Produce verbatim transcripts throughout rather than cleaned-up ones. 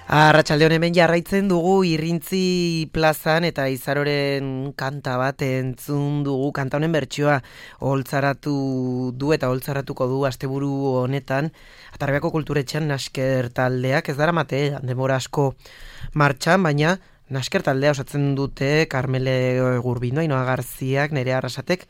Arratsaldeon hemen jarraitzen dugu Irrintzi plazan eta Izaroren kanta bat entzun dugu. Kanta honen bertsioa oholtzaratu du eta oholtzaratuko du asteburu honetan Atarrabiko Kulturetxean Nasker taldeak. Ez daramate denbora asko martxan, baina Nasker taldea osatzen dute Karmele Gurbino, Ainoa Garziak, Nerea Arrasatek,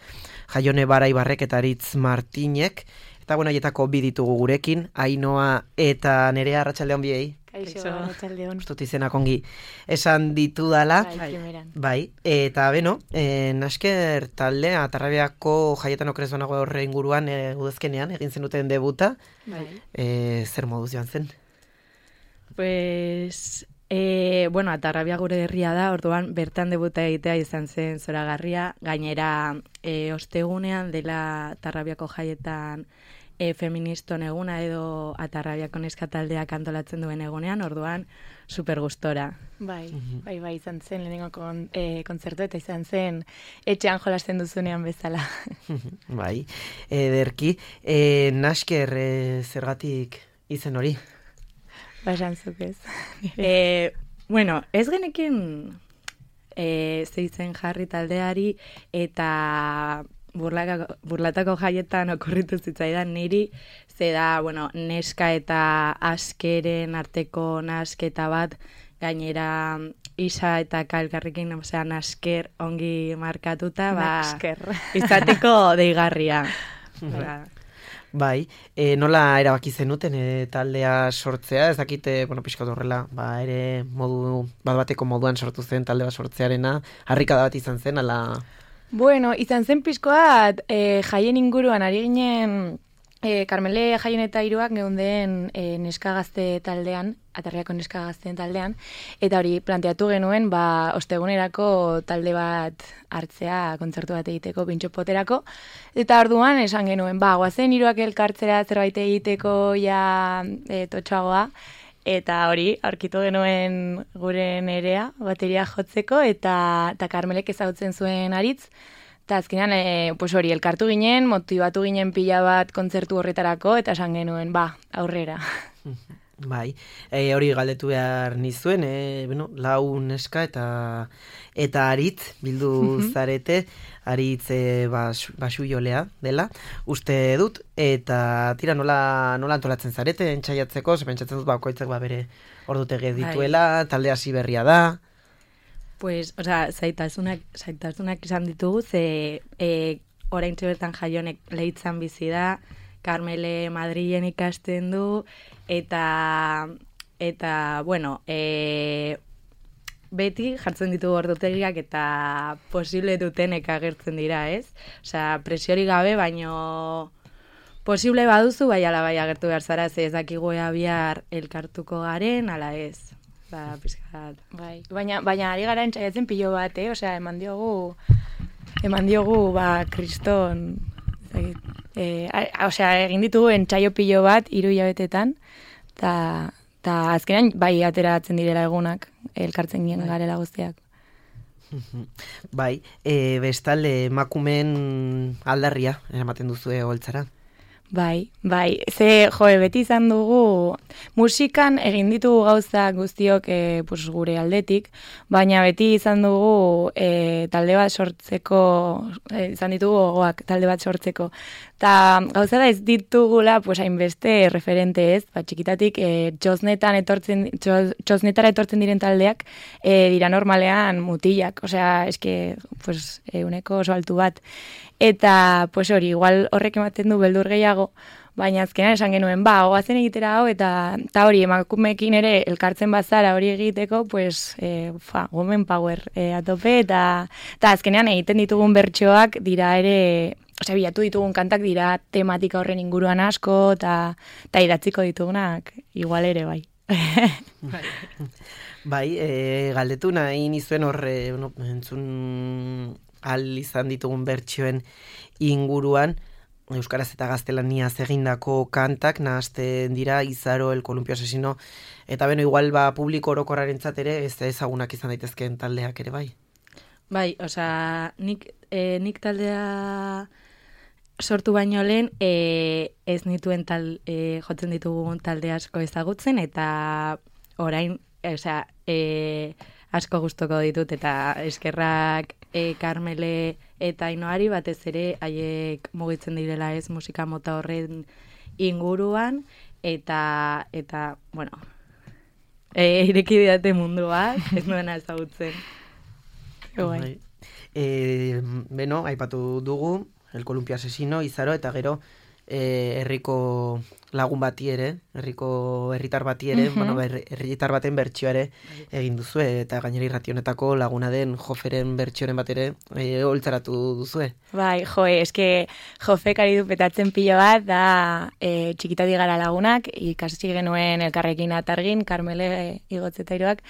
Jaione Baraibarrek eta Aritz Martinek. Eta bueno, haietako bi ditugu gurekin, Ainoa eta Nerea. Arratsaldeon biei. Kaixo, arratsaldeon. Ustut izenak ongi esan ditudala. Bai, primeran. Bai, eta beno, e, Nasker taldea Atarrabiako jaietan okrezonago horre inguruan e, udazkenean egin zenuten debuta. Bai. E, zer moduz joan zen? Pues, e, bueno, Atarrabia gure herria da, orduan bertan debuta egitea izan zen zoragarria. Gainera, e, ostegunean dela Atarrabiako jaietan E, feministon eguna edo Atarrabiako neska taldeak antolatzen duen egunean, orduan super gustora. Bai, bai, bai, izan zen lehenengo kon, e, kontzertu eta izan zen etxean jolasten duzunean bezala. Bai, ederki. E, Nasker e, zergatik izen hori? Basan zuk ez. e, bueno, ez genekin e, zeitzen jarri taldeari eta Burlaka, burlatako jaietan okurritu zitzaidan niri, ze da, bueno, neska eta askeren arteko nasketa bat, gainera isa eta kalkarrekin, osea, nasker ongi markatuta, ba, nasker. izateko deigarria. Bai, e, nola erabaki zenuten e, taldea sortzea, ez dakite, bueno, pixka horrela, ba, ere modu, bat bateko moduan sortu zen talde bat sortzearena, harrikada bat izan zen, ala... Bueno, izan zen pixkoat, e, jaien inguruan, ari ginen, e, Karmele jaien eta hiruak geunden e, neska gazte taldean, Atarriako neska gazteen taldean, eta hori planteatu genuen, ba, ostegunerako talde bat hartzea, kontzertu bat egiteko, pintxopoterako, eta orduan esan genuen, ba, guazen hiruak elkartzera zerbait egiteko ja e, totxagoa, eta hori, aurkitu genuen gure Nerea, bateria jotzeko, eta, eta Karmelek ezagutzen zuen Aritz. Eta azkenean, e, pues hori, elkartu ginen, motibatu ginen pila bat kontzertu horretarako, eta esan genuen, ba, aurrera. Bai, e, hori galdetu behar nizuen, e, bueno, lau neska eta eta Aritz bildu zarete, Aritz e, bas, basu jolea dela, uste dut, eta tira nola, nola antolatzen zarete, entxaiatzeko, ze pentsatzen dut bakoitzak ba bere ordutegi dituela, talde hasi berria da. Pues, o sea, zaitasunak, zaitasunak izan ditugu, ze e, oraintxe bertan Jaionek Leitzan bizi da, Karmele Madrilen ikasten du, eta, eta bueno, e, beti jartzen ditugu ordutegiak eta posible dutenek agertzen dira, ez? Osea, presiori gabe, baino posible baduzu, bai ala bai agertu behar zara, ze ez dakigu ea bihar elkartuko garen, ala ez. Ba, pizkat. Bai, baina, baina ari gara entxaiatzen pilo bat, eh? Osea, eman diogu, eman diogu, ba, kriston, e, osea, egin ditugu entxaio pilo bat, hiru hilabetetan, eta ta azkenean bai ateratzen direla egunak, elkartzen gien garela guztiak. Bai, e, bestalde emakumeen aldarria eramaten duzue oholtzara. Bai, bai, ze, joe, beti izan dugu, musikan egin ditugu gauza guztiok e, pues, gure aldetik, baina beti izan dugu e, talde bat sortzeko, e, izan ditugu gogoak talde bat sortzeko. Ta gauza da ez ditugula, pues, hainbeste referente ez, ba, txikitatik e, txosnetan etortzen, txos, txosnetara etortzen diren taldeak e, dira normalean mutilak, osea, eske, pues, e, uneko oso altu bat. Eta, pues hori, igual horrek ematen du beldur gehiago, baina azkenan esan genuen, ba, oazen egitera hau, eta, eta hori, emakumeekin ere elkartzen bazara hori egiteko, pues, e, fa, women power e, atope, eta, eta azkenean egiten ditugun bertsoak dira ere, osea, bilatu ditugun kantak dira tematika horren inguruan asko, eta, eta idatziko ditugunak igual ere, bai. Bai, e, galdetu nahi nizuen horre, no, entzun al izan ditugun bertsioen inguruan, euskaraz eta gaztelaniaz egindako kantak nahasten dira Izaro, El Columpio Asesino, eta beno, igual ba, publiko orokorrarentzat ere ez ezagunak izan daitezkeen taldeak ere, bai? Bai, osea, nik, e, nik taldea sortu baino lehen e, ez nituen tal, e, jotzen ditugun talde asko ezagutzen, eta orain, osea, e, asko gustoko ditut, eta eskerrak e, Karmele eta Ainoari batez ere haiek mugitzen direla ez musika mota horren inguruan, eta, eta bueno, e, ireki didate mundua, ez nuena ezagutzen. Bai. E, beno, aipatu dugu, El Columpio Asesino, Izaro, eta gero e, herriko lagun bati ere, herriko herritar bati ere, Mhm. bueno, herritar baten bertsioa ere egin duzue, eta gainera irrationetako laguna den Joferen bertsioren bat ere e, holtzaratu duzue. Bai, joe, eske Jofek ari du petatzen pilo bat, da e, txikitati gara lagunak, ikasi genuen elkarrekin atargin, Karmele Igotzetairoak,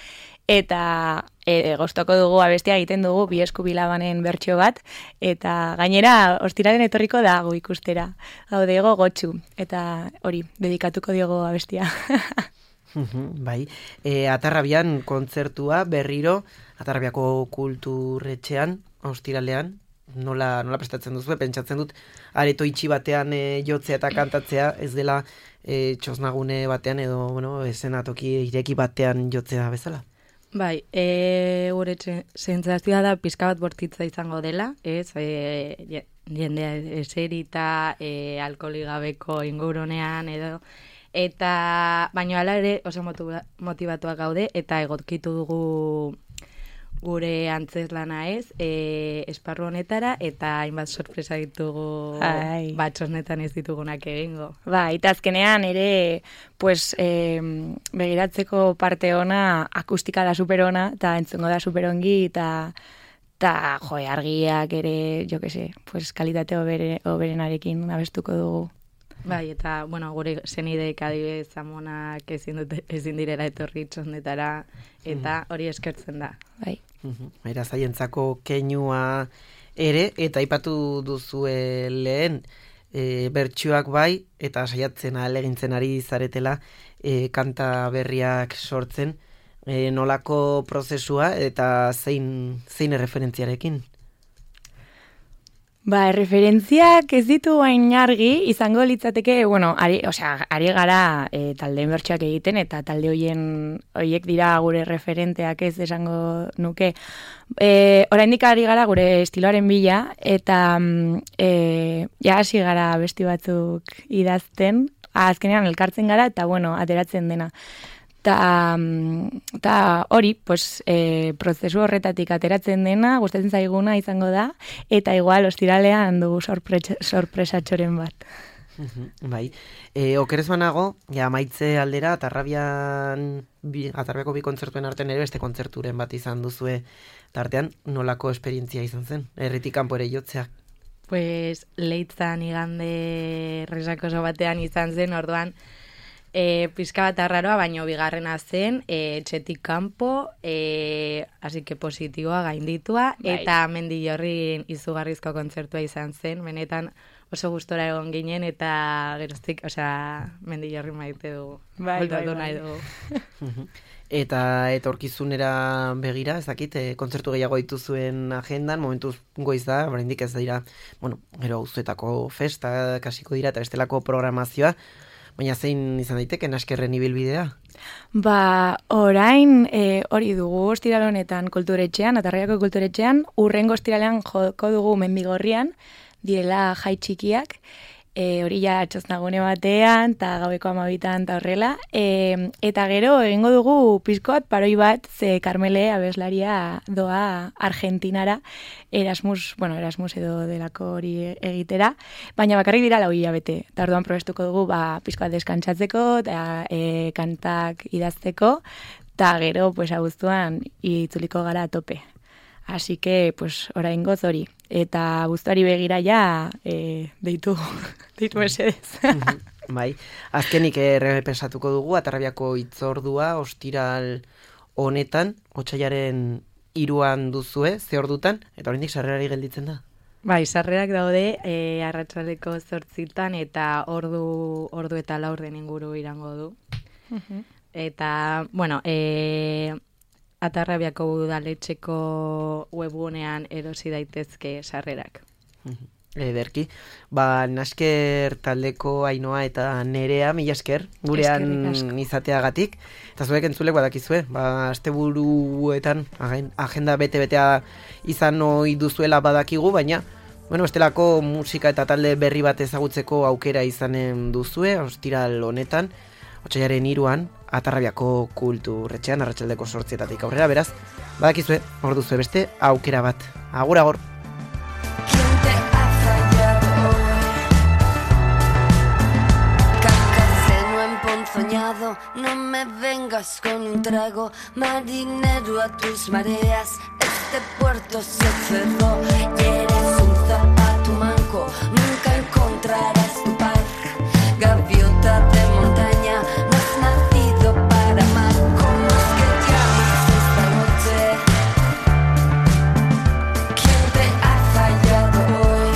eta e, goztoko dugu abestia egiten dugu bi esku bilabanen bertsio bat, eta gainera ostiraren etorriko da gu ikustera, gaude ego gotxu, eta hori, dedikatuko diogo abestia. Bai, e, Atarrabian kontzertua berriro, Atarrabiako kulturretxean, ostiralean, nola, nola prestatzen duzu, pentsatzen dut, areto itxi batean e, jotzea eta kantatzea, ez dela e, txosnagune batean edo, bueno, esenatoki ireki batean jotzea bezala. Bai, e, gure sentsazioa da pizka bat bortitza izango dela, ez, e, jendea eserita, e, alkoholi gabeko ingurunean edo, eta baino hala ere oso motibatuak gaude, eta egokitu dugu gure antzeslana ez, e, esparru honetara, eta hainbat sorpresa ditugu Ai. batxosnetan ez ditugunak egingo. Ba, eta azkenean ere, pues, eh, begiratzeko parte ona, akustika da superona, eta entzungo da superongi, eta eta jo, argiak ere, jo que se, pues, kalitate hobere, hoberenarekin abestuko dugu. Bai, eta, bueno, gure zenideek adibidez amonak ezin, dute, ezin direla etorri txondetara, eta hori eskertzen da. Bai. Era zaientzako keinua ere, eta aipatu duzue lehen, e, bertsuak bai, eta saiatzen ahalegintzen ari zaretela e, kanta berriak sortzen, e, nolako prozesua eta zein, zein erreferentziarekin? Ba, referentziak ez ditu hain argi, izango litzateke, bueno, ari, osea, ari gara e, taldeen bertsoak egiten, eta talde hoien hoiek dira gure referenteak ez esango nuke. E, oraindik ari gara gure estiloaren bila, eta e, ja hasi gara besti batzuk idazten, azkenean elkartzen gara, eta bueno, ateratzen dena. Eta hori, pues, e, prozesu horretatik ateratzen dena, gustatzen zaiguna izango da, eta igual ostiralean dugu sorpresa, sorpresatxoren bat. Bai, e, okerez banago, ja, maitze aldera, Atarrabian, bi, Atarrabiako bi kontzertuen artean ere beste kontzerturen bat izan duzue tartean, nolako esperientzia izan zen, herritik kanpo ere jotzeak? Pues, leitzan igande resakoso batean izan zen, orduan, E, pizka bat arraroa, baino bigarrena zen, e, etxetik kanpo, e, así que positiboa gainditua, bai. Eta Mendillorrin izugarrizko kontzertua izan zen, benetan oso gustora egon ginen, eta geroztik, osea, Mendillorrin maite dugu, bai, voltatu bai, bai. nahi dugu. Eta etorkizunera begira, ez dakit, e, kontzertu gehiago dituzuen agendan, momentuz goiz da, oraindik ez dira, bueno, gero auzoetako festa, kasiko dira, eta bestelako programazioa, baina zein izan daiteke naskerren ibilbidea? Ba, orain e, hori dugu ostiral honetan kulturetxean, Atarraiako kulturetxean, urrengo ostiralean joko dugu Mendigorrian, direla jai txikiak, e, hori ja txosnagune batean, eta gaueko amabitan, eta horrela, e, eta gero egingo dugu pizkoat paroi bat, ze Karmele abeslaria doa Argentinara, Erasmus, bueno, Erasmus edo delako hori egitera, baina bakarrik dira lau hilabete. Eta orduan probestuko dugu, ba, pizkoat deskantzatzeko, eta e, kantak idazteko, eta gero, pues, abuztuan itzuliko gara a tope. Así que, pues, oraingoz hori. Eta abuztuari begira ja, e, deitu, deitu mesedez. Bai, azkenik errepensatuko dugu, Atarrabiako hitzordua, ostiral honetan, otsailaren hiruan duzue, ze ordutan, eta oraindik sarrerari gelditzen da? Bai, sarrerak daude, e, arratsaleko zortzitan, eta ordu, ordu eta laurden inguru irango du. Eta, bueno, e, Atarrabiako udaletxeko webgunean erosi daitezke sarrerak. ederki. Ba, nasker taldeko Ainoa eta Nerea, mila esker, gurean izateagatik. Eta zuek entzulek badakizue, ba, asteburuetan agenda bete-betea izan ohi duzuela badakigu, baina bueno, bestelako musika eta talde berri bat ezagutzeko aukera izanen duzue, ostiral honetan, otsailaren hiruan, Atarrabiako Kulturretxean, arratsaldeko zortzietatik aurrera, beraz, badakizue, hor duzue beste aukera bat. Agur, agur! No me vengas con un trago, marinero a tus mareas. Este puerto se cerró y eres un zapato manco. Nunca encontrarás tu paz, gaviota de montaña. No has nacido para amar. ¿Cómo es que llamas esta noche? ¿Quién te ha fallado hoy?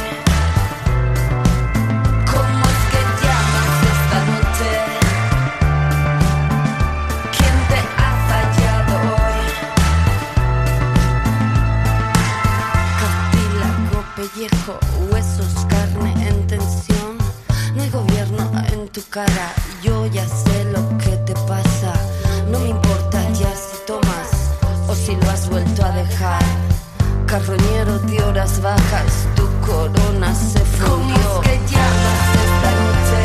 ¿Cómo es que llamas esta noche? Pellejo, huesos, carne en tensión. No hay gobierno en tu cara, yo ya sé lo que te pasa. No me importa ya si tomas o si lo has vuelto a dejar. Carroñero de horas bajas, tu corona se fundió. ¿Cómo es que llamas esta noche?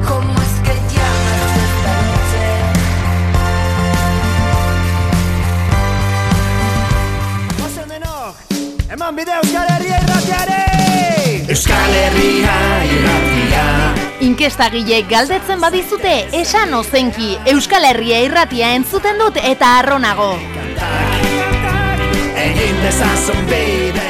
¿Cómo es que llamas esta noche? Eman bide Euskal Herria irratiare! Euskal Herria irratia. Inkestagileek galdetzen badizute, esan ozenki, Euskal Herria irratia entzuten dut eta arronago. Egin dezazun bide.